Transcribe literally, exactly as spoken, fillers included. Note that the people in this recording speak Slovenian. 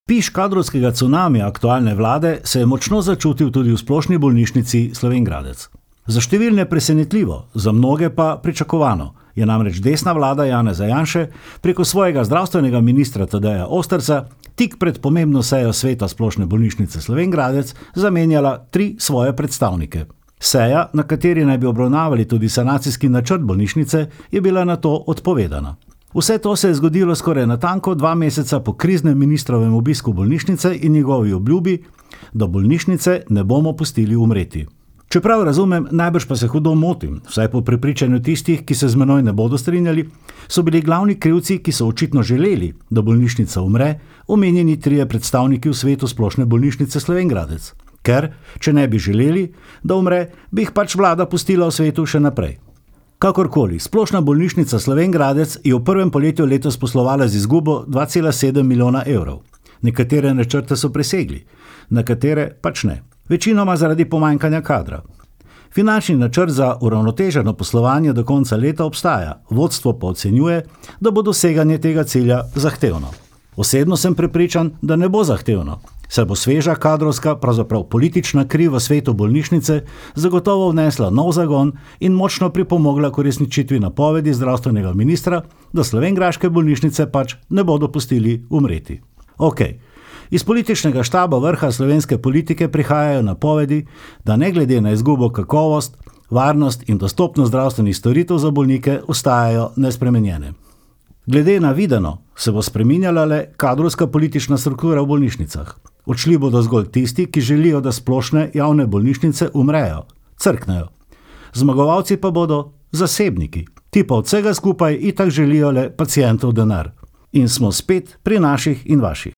Piš kadrovskega cunamija aktualne vlade se je močno začutil tudi v Splošni bolnišnici Slovenj Gradec. Za številne presenetljivo, za mnoge pa pričakovano je namreč desna vlada Janeza Janše preko svojega zdravstvenega ministra Tadeja Osterca tik pred pomembno sejo sveta Splošne bolnišnice Slovenj Gradec zamenjala tri svoje predstavnike. Seja, na kateri naj bi obravnavali tudi sanacijski načrt bolnišnice, je bila nato odpovedana. Vse to se je zgodilo skoraj natanko dva meseca po kriznem ministrovem obisku bolnišnice in njegovi obljubi, da bolnišnice ne bomo pustili umreti. Čeprav razumem, najbrž pa se hudo motim, vsaj po prepričanju tistih, ki se z menoj ne bodo strinjali, so bili glavni krivci, ki so očitno želeli, da bolnišnica umre, omenjeni trije predstavniki v svetu Splošne bolnišnice Slovenj Gradec. Ker, če ne bi želeli, da umre, bi jih pač vlada pustila v svetu še naprej. Kakorkoli, Splošna bolnišnica Slovenj Gradec je v prvem poletju letos poslovala z izgubo dva cela sedem milijona evrov. Nekatere načrte so presegli, nekatere pač ne. Večinoma zaradi pomanjkanja kadra. Finančni načrt za uravnoteženo poslovanje do konca leta obstaja, vodstvo pa ocenjuje, da bo doseganje tega cilja zahtevno. Osebno sem prepričan, da ne bo zahtevno, saj bo sveža kadrovska, pravzaprav politična kri v svetu bolnišnice zagotovo vnesla nov zagon in močno pripomogla k uresničitvi napovedi zdravstvenega ministra, da slovenjgraške bolnišnice pač ne bodo pustili umreti. Okej. Iz političnega štaba vrha slovenske politike prihajajo napovedi, da ne glede na izgubo kakovost, varnost in dostopnost zdravstvenih storitev za bolnike ostajajo nespremenjene. Glede na videno se bo spreminjala le kadrovska politična struktura v bolnišnicah. Odšli bodo zgolj tisti, ki želijo, da splošne javne bolnišnice umrejo, crknejo. Zmagovalci pa bodo zasebniki. Ti pa od vsega skupaj itak želijo le pacientov denar. In smo spet pri naših in vaših.